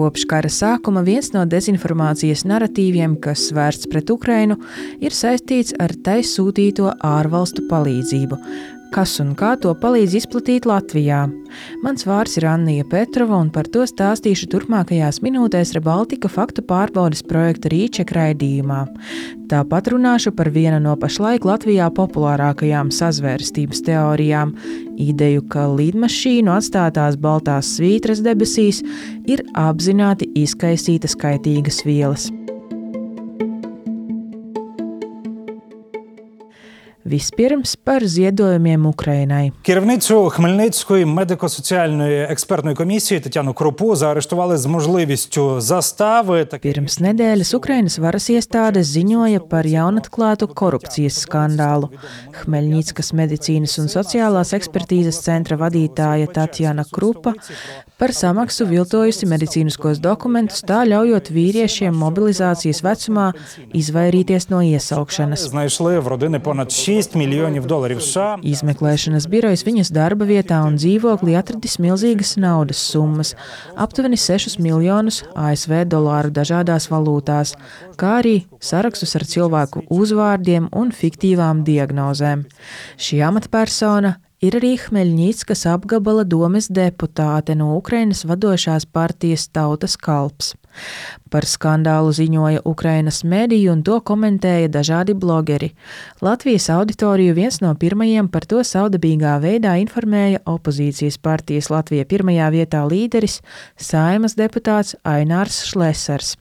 Kopš kara sākuma viens no dezinformācijas naratīviem, kas vērsts pret Ukrainu, ir saistīts ar tai sūtīto ārvalstu palīdzību. Kas un kā to palīdz izplatīt Latvijā? Mans vārds ir Annija Petrova, un par to stāstīšu turpmākajās minūtēs Rebaltika faktu pārbaudes projekta Rīček raidījumā. Tāpat runāšu par vienu no pašlaik Latvijā populārākajām sazvērstības teorijām – ideju, ka lidmašīnu atstātās baltās svītras debesīs ir apzināti izkaisītas kaitīgas vielas. Vispirms par ziedojumiem Ukrainai. Керівницю Хмельницької медико-соціальної експертної комісії Тетяну Крупу заарештували з можливістю застави. Pirms nedēļas Ukrainas varas iestādes ziņoja par jaunatklātu korupcijas skandālu. Hmeļnickas medicīnas un sociālās ekspertīzes centra vadītāja Tatjana Krupa par samaksu viltojusi medicīniskos dokumentus, tā ļaujot vīriešiem mobilizācijas vecumā izvairīties no iesaukšanas. Знайшли в родини понад $6 мільйонів США. Izmeklēšanas birojas viņas darba vietā un dzīvoklī atradis milzīgas naudas summas, aptuveni 6 miljonus ASV dolāru dažādās valūtās, kā arī sarakstus ar cilvēku uzvārdiem un fiktīvām diagnozēm. Šī amatpersona ir arī Hmeļnickas apgabala domes deputāte no Ukrainas vadošās partijas Tautas kalps. Par skandālu ziņoja Ukrainas mediju un to komentēja dažādi blogeri. Latvijas auditoriju viens no pirmajiem par to saudabīgā veidā informēja opozīcijas partijas Latvija pirmajā vietā līderis, Saeimas deputāts Ainārs Šlesers.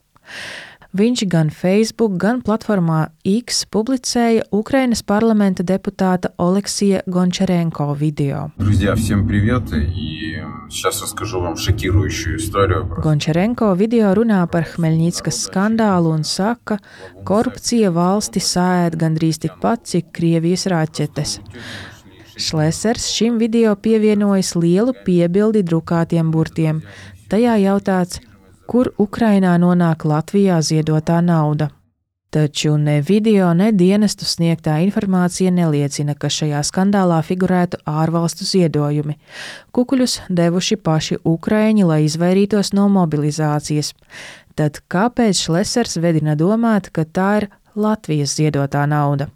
Viņš gan Facebook, gan platformā X publicēja Ukrainas parlamenta deputāta Oleksija Gončarenko video. Друзья, всем привет, и сейчас расскажу вам шокирующую историю. Gončarenko video runā par Hmeļnickas skandālu un saka, korupcija valsti saēd gandrīz tikpat, cik Krievijas raķetes. Šlesers šim video pievienojas lielu piebildi drukātiem burtiem. Tajā jautāts, kur Ukrainā nonāk Latvijā ziedotā nauda. Taču ne video, ne dienestu sniegtā informācija neliecina, ka šajā skandālā figurētu ārvalstu ziedojumi. Kukuļus devuši paši ukraiņi, lai izvairītos no mobilizācijas. Tad kāpēc Šlesers vedina domāt, ka tā ir Latvijas ziedotā nauda?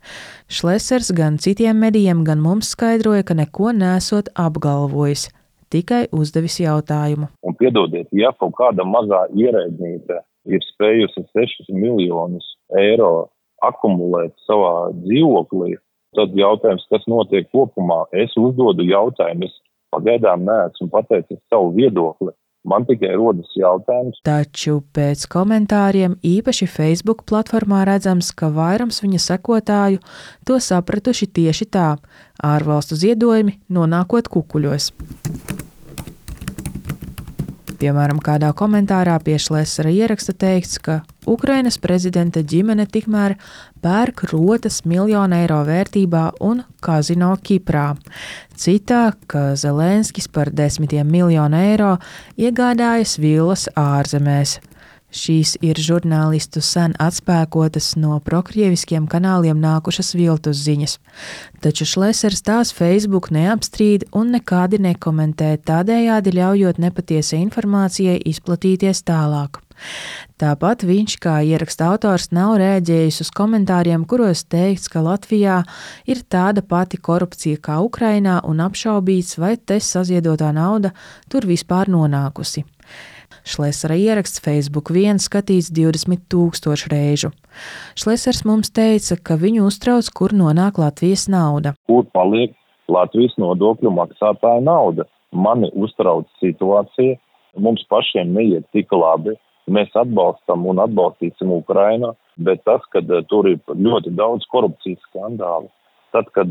Šlesers gan citiem medijiem, gan mums skaidroja, ka neko nesot apgalvojis. Tikai uzdevis jautājumu. Un piedodiet, ja kaut kāda mazā ierēdnīte ir spējusi 6 miljonus eiro akumulēt savā dzīvoklī, tad jautājums, kas notiek kopumā, es uzdodu jautājumu, es pagaidām neesmu pateicis savu viedokli. Man tikai rodas jautājums. Taču pēc komentāriem īpaši Facebook platformā redzams, ka vairums viņa sekotāju to sapratuši tieši tā – ārvalstu ziedojumi nonākot kukuļos. Piemēram, kādā komentārā pie Šlesera ieraksta teikts, ka Ukrainas prezidenta ģimene tikmēr pērk rotas €1 miljonu vērtībā un kazino Kiprā. Citā, ka Zelenskis par €10 miljonu iegādājas villas ārzemēs. Šīs ir žurnālistu sen atspēkotas no prokrieviskiem kanāliem nākušas viltus ziņas. Taču Šlesers tās Facebook neapstrīd un nekādi nekomentē, tādējādi ļaujot nepatiesai informācijai izplatīties tālāk. Tāpat viņš, kā ieraksta autors, nav rēģējis uz komentāriem, kuros teikts, ka Latvijā ir tāda pati korupcija kā Ukrainā un apšaubīts, vai te saziedotā nauda tur vispār nonākusi. Šlesera ieraksts Facebook vien skatīts 20 000 reižu. Šlesers mums teica, ka viņu uztrauc, kur nonāk Latvijas nauda. Kur paliek Latvijas nodokļu maksātāja nauda? Mani uztrauc situācija, mums pašiem neiet tik labi. Mēs atbalstam un atbalstīsim Ukrainu, bet tas, kad tur ir ļoti daudz korupcijas skandālu, tad, kad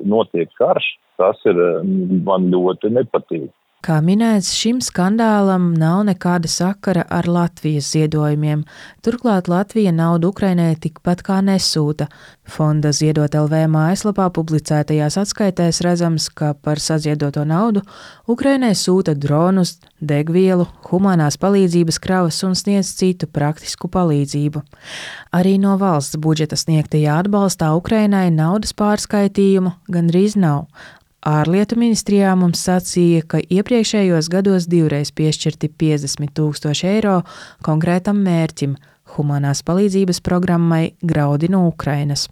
notiek karš, tas ir man ļoti nepatīk. Kā minēts, šim skandālam nav nekāda sakara ar Latvijas ziedojumiem. Turklāt Latvija naudu Ukrainai tikpat kā nesūta. Fonda Ziedot LV mājaslapā publicētajās atskaitēs redzams, ka par saziedoto naudu Ukrainai sūta dronus, degvielu, humanās palīdzības kravas un sniedz citu praktisku palīdzību. Arī no valsts budžeta sniegtajā atbalstā Ukrainai naudas pārskaitījumu gandrīz nav. Ārlietu ministrijā mums sacīja, ka iepriekšējos gados 2 reiz piešķirti 50 000 eiro konkrētam mērķim – humanās palīdzības programmai Graudi no Ukrainas.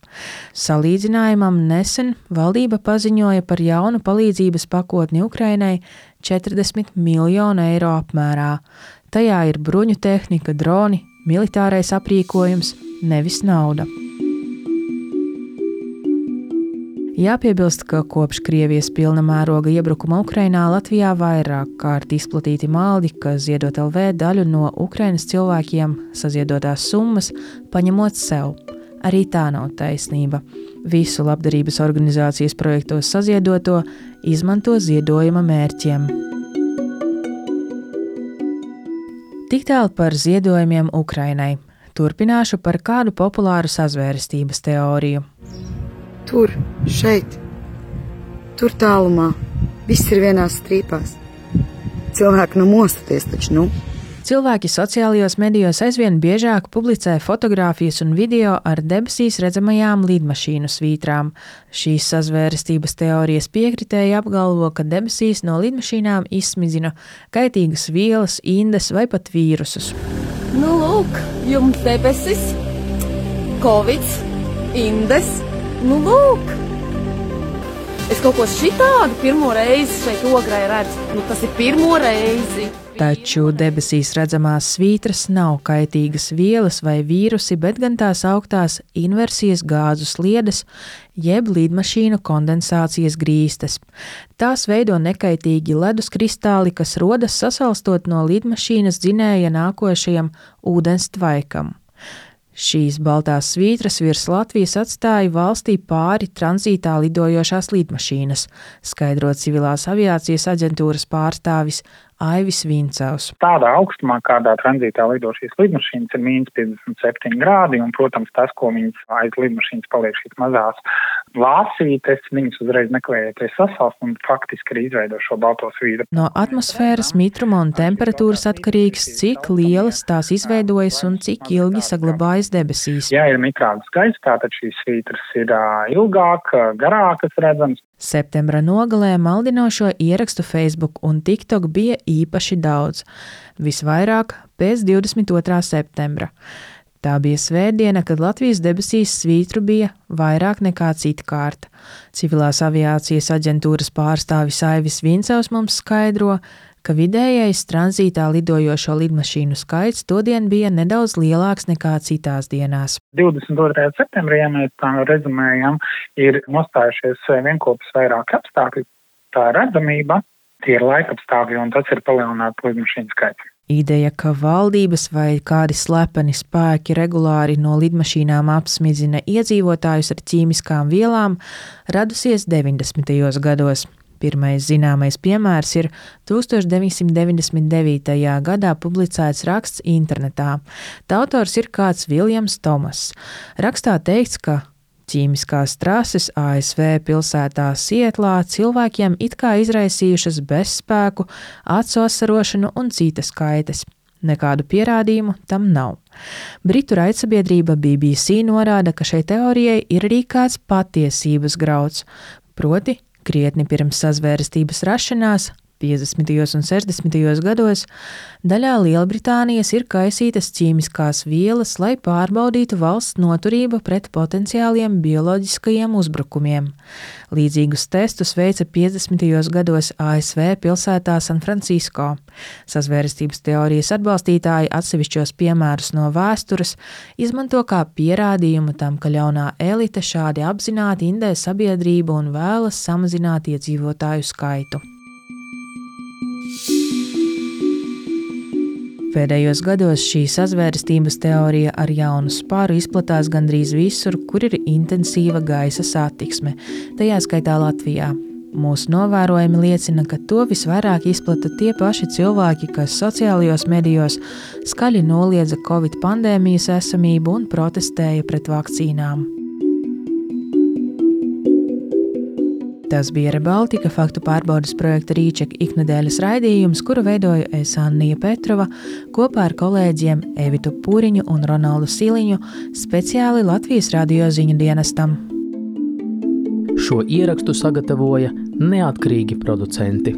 Salīdzinājumam nesen valdība paziņoja par jaunu palīdzības pakotni Ukrainai 40 miljonu eiro apmērā. Tajā ir bruņu tehnika, droni, militārais aprīkojums, nevis nauda. Jāpiebilst, ka kopš Krievijas pilna mēroga iebrukuma Ukrainā Latvijā vairāk kārt izplatīti maldi, ka Ziedot LV daļu no Ukrainas cilvēkiem saziedotās summas paņemot sev. Arī tā nav taisnība. Visu labdarības organizācijas projektos saziedoto izmanto ziedojuma mērķiem. Tik tālu par ziedojumiem Ukrainai. Turpināšu par kādu populāru sazvērestības teoriju. Tur, šeit, tur tālumā, viss ir vienās strīpās. Cilvēki mostoties taču, Cilvēki sociālajos medijos aizvien biežāk publicē fotogrāfijas un video ar debesīs redzamajām lidmašīnu svītrām. Šīs sazvērestības teorijas piekritēji apgalvo, ka debesīs no lidmašīnām izsmidzina kaitīgas vielas, indes vai pat vīrusus. Lūk, jums debesis, Covid, indes. Lūk! Es kaut ko šitādu pirmo reizi šeit Ograi redzu. Tas ir pirmo reizi. Taču debesīs redzamās svītras nav kaitīgas vielas vai vīrusi, bet gan tās augtās inversijas gāzu sliedes, jeb lidmašīnu kondensācijas grīstes. Tās veido nekaitīgi ledus kristāli, kas rodas sasalstot no lidmašīnas dzinēja nākošajam ūdens tvaikam. Šīs baltās svītras virs Latvijas atstāja valstī pāri tranzītā lidojošās lidmašīnas, skaidro civilās aviācijas aģentūras pārstāvis Aivis Vincavs. Tādā augstumā, kādā tranzītā lido šīs lidmašīnas, ir -57 grādi, un, protams, tas, ko viņas aiz lidmašīnas paliek šīs mazās lāsītes, viņas uzreiz nekvējoties sasalst un faktiski arī izveido šo balto svītru. No atmosfēras mitruma un temperatūras atkarīgs, cik lielas tās izveidojas un cik ilgi saglabājas debesīs. Ja ir mitrāks gaiss, tātad šīs svītras ir ilgāk, garākas redzamas. Septembra nogalē maldinošo ierakstu Facebook un TikTok bija īpaši daudz, visvairāk pēc 22. septembra. Tā bija svētdiena, kad Latvijas debesīs svītru bija vairāk nekā citkārt. Civilās aviācijas aģentūras pārstāvis Aivis Vincavs mums skaidro, ka vidējais tranzītā lidojošo lidmašīnu skaits todien bija nedaudz lielāks nekā citās dienās. 22. septembrī, ja mēs tā rezumējam, ir nostājušies vienkopus vairāk apstākļi. Tā ir redzamība, tie ir laikapstākļi, un tas ir palielināts lidmašīnu skaits. Ideja, ka valdības vai kādi slepeni spēki regulāri no lidmašīnām apsmidzina iedzīvotājus ar ķīmiskām vielām, radusies 90. gados. Pirmais zināmais piemērs ir 1999. gadā publicēts raksts internetā. Tā autors ir kāds Viljams Tomas. Rakstā teikts, ka ķīmiskās trases ASV pilsētā Sietlā cilvēkiem it kā izraisījušas bezspēku, acu asarošanu un citas kaitas. Nekādu pierādījumu tam nav. Britu raidsabiedrība BBC norāda, ka šai teorijai ir arī kāds patiesības grauds, proti krietni pirms sazvērestības rašanās, 50. un 60. gados, daļā Lielbritānijas ir kaisītas ķīmiskās vielas, lai pārbaudītu valsts noturību pret potenciāliem bioloģiskajiem uzbrukumiem. Līdzīgus testus veica 50. gados ASV pilsētā San Francisco. Sazvērestības teorijas atbalstītāji atsevišķos piemērus no vēstures izmanto kā pierādījumu tam, ka ļaunā elite šādi apzināti indē sabiedrību un vēlas samazināt iedzīvotāju skaitu. Pēdējos gados šī sazvērestības teorija ar jaunu spāru izplatās gandrīz visur, kur ir intensīva gaisa satiksme, tajā skaitā Latvijā. Mūsu novērojumi liecina, ka to visvairāk izplata tie paši cilvēki, kas sociālajos medijos skaļi noliedza Covid pandēmijas esamību un protestēja pret vakcīnām. Tas bija Rebaltika faktu pārbaudes projekta Rīčeka iknedēļas raidījums, kuru veidoju es Annija Petrova kopā ar kolēģiem Evitu Pūriņu un Ronaldu Siliņu speciāli Latvijas radio ziņu dienestam. Šo ierakstu sagatavoja neatkarīgi producenti.